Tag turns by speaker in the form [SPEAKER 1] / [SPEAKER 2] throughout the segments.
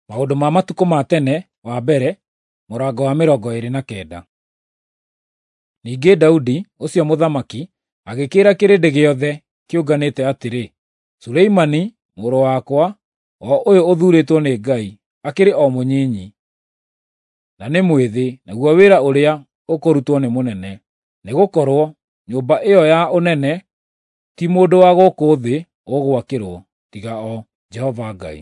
[SPEAKER 1] Maũndũ ma matukũ ma tene wa mbere, mũrango wa 29. Ningĩ Daudi, ũcio mũthamaki, agĩkĩĩra kĩrĩndĩ gĩothe kĩũnganĩte atĩrĩ, Suleimani, mũrũ wakwa, o ũyũ ũthuurĩtwo nĩ Ngai, akĩrĩ o mũnyinyi, na nĩ mwĩthĩ, naguo wĩra ũrĩa ũkũrutwo nĩ mũnene. Nĩgũkorwo nyũmba ĩyo ya ũnene ti mũndũ wa gũkũ thĩ ũgwakĩrwo, tiga o Jehova Ngai.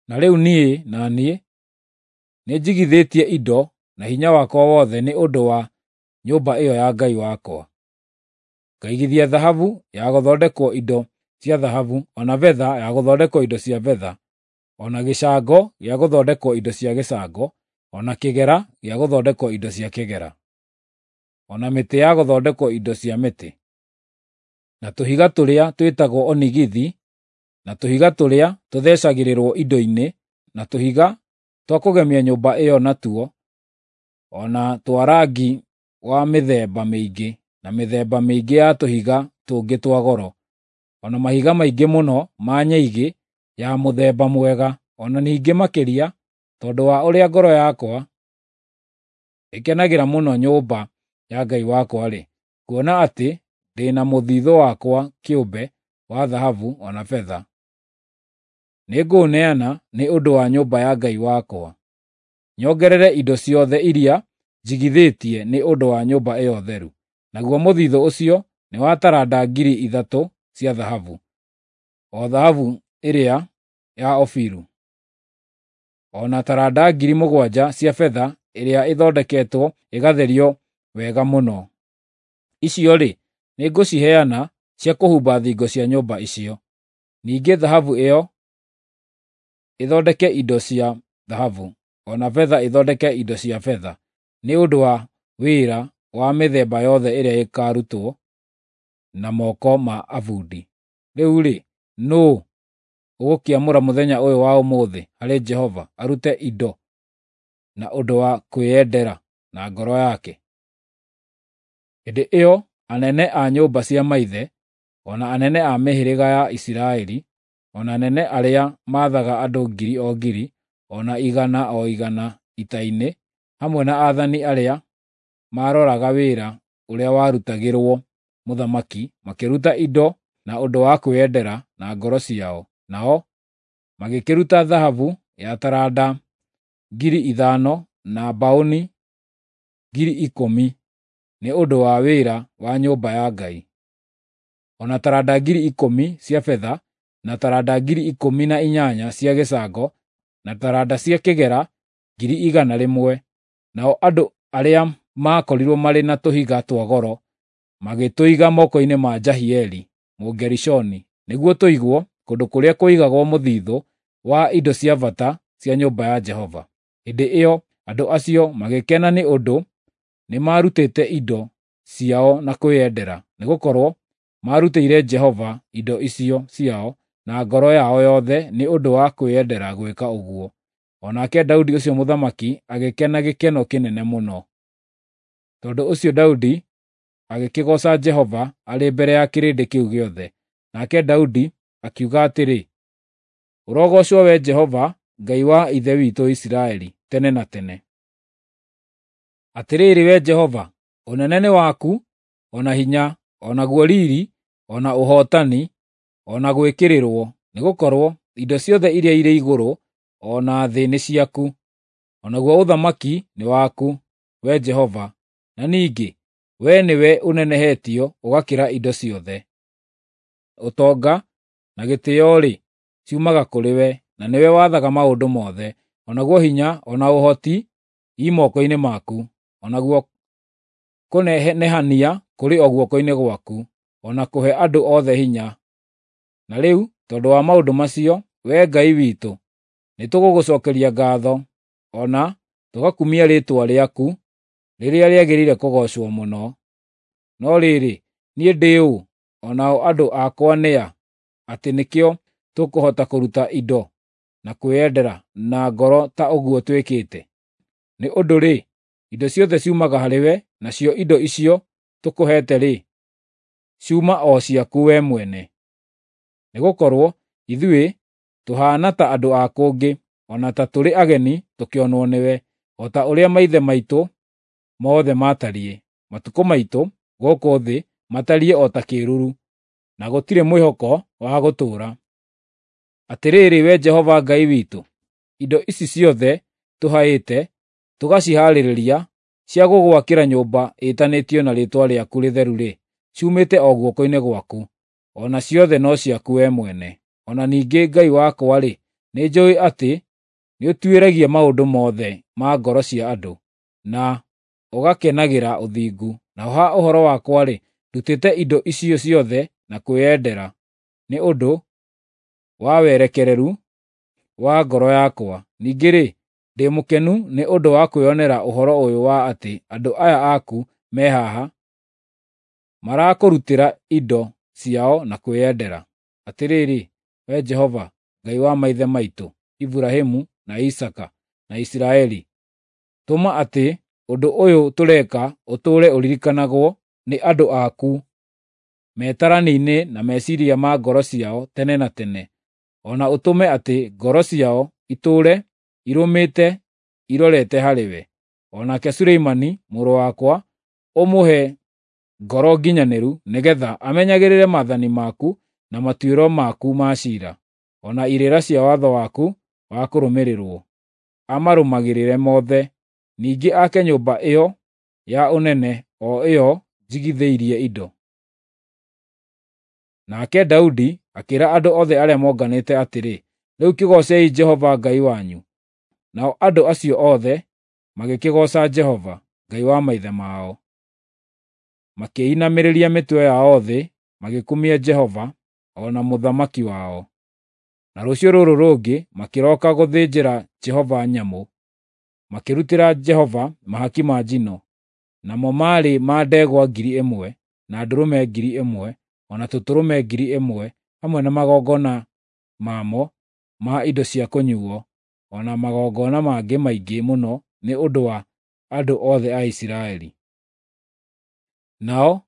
[SPEAKER 1] Na rĩu niĩ na niĩ nĩnjigithĩtie indo na hinya wakwa wothe nĩ ũndũ wa nyũmba ĩyo ya Ngai wakwa. Ngaigithia thahabu ya gũthondekwo indo cia thahabu, o na betha ya gũthondekwo indo cia betha, o na gĩcango gĩa gũthondekwo indo cia gĩcango, o na kĩgera gĩa gũthondekwo indo cia kĩgera, o na mĩtĩ ya gũthondekwo indo cia mĩtĩ, na tũhiga tũrĩa twĩtagwo onigithi, na tũhiga tũrĩa tũthecagĩrĩrwo indo-inĩ, na tũhiga twa kũgemia nyũmba ĩyo natuo, o na twa rangi wa mĩthemba mĩingĩ, na mĩthemba mĩingĩ ya tũhiga tũngĩ twa goro, o na mahiga maingĩ mũno ma nyaigĩ ya mũthemba mwega, o na ningĩ makĩria, tondũ wa ũrĩa ngoro yakwa ĩkenagĩra mũno nyũmba ya Ngai wakwa-rĩ, kuona atĩ ndĩ na mũthithũ wakwa kĩũmbe wa thahabu o na betha, nĩngũũneana nĩ ũndũ wa nyũmba ya Ngai wakwa, nyongerere indo ciothe iria njigithĩtie nĩ ũndũ wa nyũmba ĩyo theru. Naguo mũthithũ ũcio nĩ wa taranda 3,000 cia thahabu, o thahabu ĩrĩa ya Ofiru, o na taranda 7,000 cia betha ĩrĩa ĩthondeketwo ĩgatherio wega mũno. Icio-rĩ, nĩngũciheana cia kũhumba thingo cia nyũmba icio. Ningĩ thahabu ĩyo ĩthondeke indo cia thahabu, o na betha ĩthondeke indo cia betha, nĩ ũndũ wa wĩra wa mĩthemba yothe ĩrĩa ĩkaarutwo na moko ma abundi. Rĩu-rĩ, nũũ ũgũkĩamũra mũthenya ũyũ wa ũmũthĩ harĩ Jehova arute indo na ũndũ wa kwĩyendera na ngoro yake? Hĩndĩ ĩyo anene a nyũmba cia maithe, o na anene a mĩhĩrĩga ya Isiraeli, o na anene arĩa maathaga andũ ngiri o ngiri, o na igana o igana ita-inĩ, hamwe na aathani arĩa maaroraga wĩra ũrĩa warutagĩrwo mũthamaki, makĩruta indo na ũndũ wa kwĩyendera na ngoro ciao. Nao magĩkĩruta thahabu ya taranda 5,000 na mbaũni 10,000 nĩ ũndũ wa wĩra wa nyũmba ya Ngai, o na taranda 10,000 cia betha, na taranda 18,000 cia gĩcango, na taranda cia kĩgera 100,000. Nao andũ arĩa maakorirwo marĩ na tũhiga twa goro magĩtũiga moko-inĩ ma Jahieli Mũgerishoni, nĩguo tũigwo kũndũ kũrĩa kũigagwo mũthithũ wa indo cia bata cia nyũmba ya Jehova. Hĩndĩ ĩyo andũ acio magĩkena nĩ ũndũ nĩmarutĩte indo ciao na kwĩyendera, nĩgũkorwo maarutĩire Jehova indo icio ciao na ngoro yao yothe nĩ ũndũ wa kwĩyendera gwĩka ũguo. O nake Daudi ũcio mũthamaki agĩkena gĩkeno kĩnene mũno. Tondũ ũcio Daudi agĩkĩgooca Jehova arĩ mbere ya kĩrĩndĩ kĩu gĩothe. Nake Daudi akiuga atĩrĩ, “Ũrogoocwo Wee Jehova, Ngai wa ithe witũ Isiraeli, tene na tene. Atĩrĩrĩ Wee Jehova, ũnene nĩ waku, o na hinya, o naguo riiri, o na ũhootani, o na gwĩkĩrĩrwo, nĩgũkorwo indo ciothe iria irĩ igũrũ o na thĩ nĩ ciaku, o naguo ũthamaki nĩ waku, Wee Jehova, na ningĩ wee nĩwe ũnenehetio ũgakĩra indo ciothe. Ũtonga na gĩtĩĩo-rĩ, ciumaga kũrĩ we, na nĩwe wathaga maũndũ mothe. O naguo hinya o na ũhoti i moko-inĩ maku, o naguo kũnenehania kũrĩ o guoko-inĩ gwaku, o na kũhe andũ othe hinya. Na rĩu tondũ wa maũndũ macio, Wee Ngai witũ, nĩtũgũgũcookeria ngaatho, o na tũgakumia rĩĩtwa rĩaku rĩrĩa rĩagĩrĩire kũgoocwo mũno. No rĩrĩ, niĩ ndĩ ũ, o nao andũ akwa nĩ a, atĩ nĩkĩo tũkũhota kũruta indo na kwĩyendera na ngoro ta ũguo twĩkĩte? Nĩ ũndũ-rĩ, indo ciothe ciumaga harĩwe, nacio indo icio tũkũheete-rĩ, ciuma o ciaku wee mwene. Nĩgũkorwo ithuĩ tũhaana ta andũ a kũngĩ, o na ta tũrĩ ageni tũkĩonwo nĩwe, o ta ũrĩa maithe maitũ mothe maatariĩ. Matukũ maitũ gũkũ thĩ matariĩ o ta kĩĩruru, na gũtirĩ mwĩhoko wa gũtũũra. Atĩrĩrĩ, Wee Jehova Ngai witũ, indo ici ciothe tũhaĩte tũgacihaarĩria cia gũgwakĩra nyũmba ĩtanĩtio na Rĩĩtwa rĩaku Rĩtheru-rĩ, ciumĩte o guoko-inĩ gwaku, o na ciothe no ciaku wee mwene. O na ningĩ Ngai wakwa-rĩ, nĩnjũũĩ atĩ nĩũtuĩragia maũndũ mothe ma ngoro cia andũ, na ũgakenagĩra ũthingu. Naho ha ũhoro wakwa-rĩ, ndutĩte indo icio ciothe na kwĩyendera nĩ ũndũ wa werekereru wa ngoro yakwa. Ningĩ-rĩ, ndĩ mũkenu nĩ ũndũ wa kwĩonera ũhoro ũyũ wa atĩ andũ aya aku me haha marakũrutĩra indo ciao na kwĩyendera. Atĩrĩrĩ, Wee Jehova, Ngai wa maithe maitũ Iburahĩmu, na Isaaka, na Isiraeli, tũma atĩ ũndũ ũyũ tũreka ũtũũre ũririkanagwo nĩ andũ aku metarani-inĩ na meciiria ma ngoro ciao tene na tene, o na ũtũme atĩ ngoro ciao itũũre irũmĩte irorete harĩwe. O nake Suleimani mũrũ wakwa ũmũhe ngoro nginyanĩru nĩgeetha amenyagĩrĩre maathani maku na matuĩro maku ma ciira, o na irĩra cia watho waku wa kũrũmĩrĩrwo, amarũmagĩrĩre mothe. Ningĩ ake nyũmba ĩyo ya ũnene, o ĩyo njigithĩirie indo. Nake Daudi akĩĩra andũ othe arĩa monganĩte atĩrĩ, “Rĩu kĩgoocei Jehova Ngai wanyu.” Nao andũ acio othe magĩkĩgooca Jehova, Ngai wa maithe mao. Makĩinamĩrĩria mĩtwe yao thĩ magĩkumia Jehova o na mũthamaki wao. Na rũciũ rũrũ rũngĩ makĩroka gũthĩnjĩra Jehova nyamũ, makĩrutĩra Jehova mahaki ma njino, namo maarĩ ma ndegwa 1,000, na ndũrũme 1,000, o na tũtũrũme 1,000, hamwe na magongona mamo ma indo cia kũnyuuo, o na magongona mangĩ maingĩ mũno nĩ ũndũ wa andũ othe a Isiraeli. Nao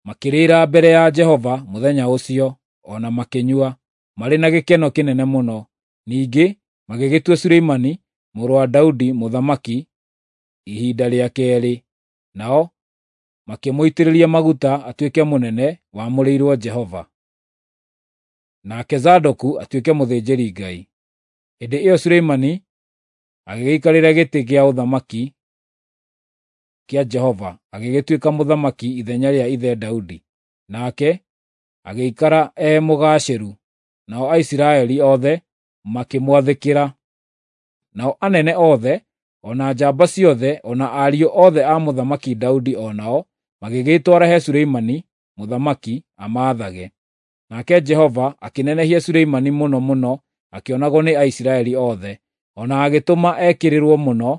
[SPEAKER 1] makĩrĩĩra mbere ya Jehova mũthenya ũcio, o na makĩnyua, marĩ na gĩkeno kĩnene mũno. Ningĩ magĩgĩtua Suleimani mũrũ wa Daudi mũthamaki ihinda rĩa keerĩ, nao makĩmũitĩrĩria maguta atuĩke mũnene wamũrĩirwo Jehova, nake Zadoku atuĩke mũthĩnjĩri-Ngai. Hĩndĩ ĩyo Suleimani agĩgĩikarĩra gĩtĩ kĩa ũthamaki kĩa Jehova, agĩgĩtuĩka mũthamaki ithenya rĩa ithe Daudi, nake agĩikara e mũgaacĩru, nao Aisiraeli othe makĩmwathĩkĩra. Nao anene othe, o na njamba ciothe, o na ariũ othe a Mũthamaki Daudi o nao magĩgĩĩtwara he Suleimani mũthamaki amaathage. Nake Jehova akĩnenehia Suleimani mũno mũno akĩonagwo nĩ Aisiraeli othe, o na agĩtũma ekĩrĩrwo mũno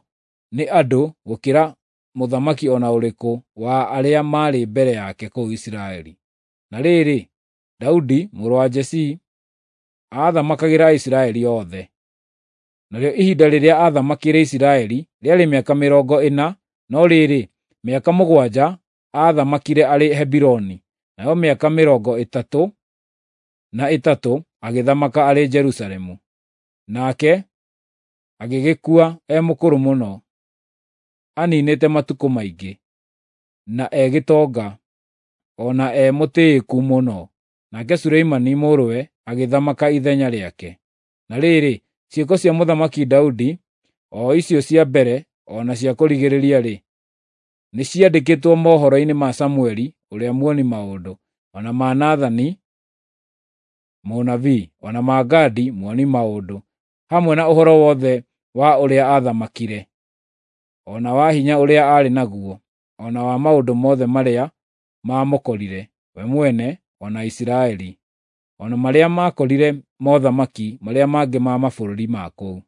[SPEAKER 1] nĩ andũ gũkĩra mũthamaki o na ũrĩkũ wa arĩa maarĩ mbere yake kũu Isiraeli. Na rĩrĩ, Daudi mũrũ wa Jesii aathamakagĩra Aisiraeli othe. Narĩo ihinda rĩrĩa aathamakĩire Isiraeli rĩarĩ mĩaka 40, no rĩrĩ, mĩaka 7 aathamakire arĩ Hebironi, nayo mĩaka 33 agĩthamaka arĩ Jerusalemu. Nake agĩgĩkua e mũkũrũ mũno, aniinĩte matukũ maingĩ, na e gĩtonga, o na e mũtĩĩku mũno. Nake Suleimani mũrũwe agĩthamaka ithenya rĩake. Na rĩrĩ, ciĩko cia Mũthamaki Daudi, o icio cia mbere o na cia kũrigĩrĩria-rĩ, nĩciandĩkĩtwo mohoro-inĩ ma Samũeli ũrĩa muoni-maũndũ, o na ma Nathani mũnabii, o na ma Gadi muoni-maũndũ, hamwe na ũhoro wothe wa ũrĩa aathamakire, o na wa hinya ũrĩa aarĩ naguo, o na wa maũndũ mothe marĩa maamũkorire we mwene o na Isiraeli, o na marĩa maakorire mothamaki marĩa mangĩ ma mabũrũri ma kũu.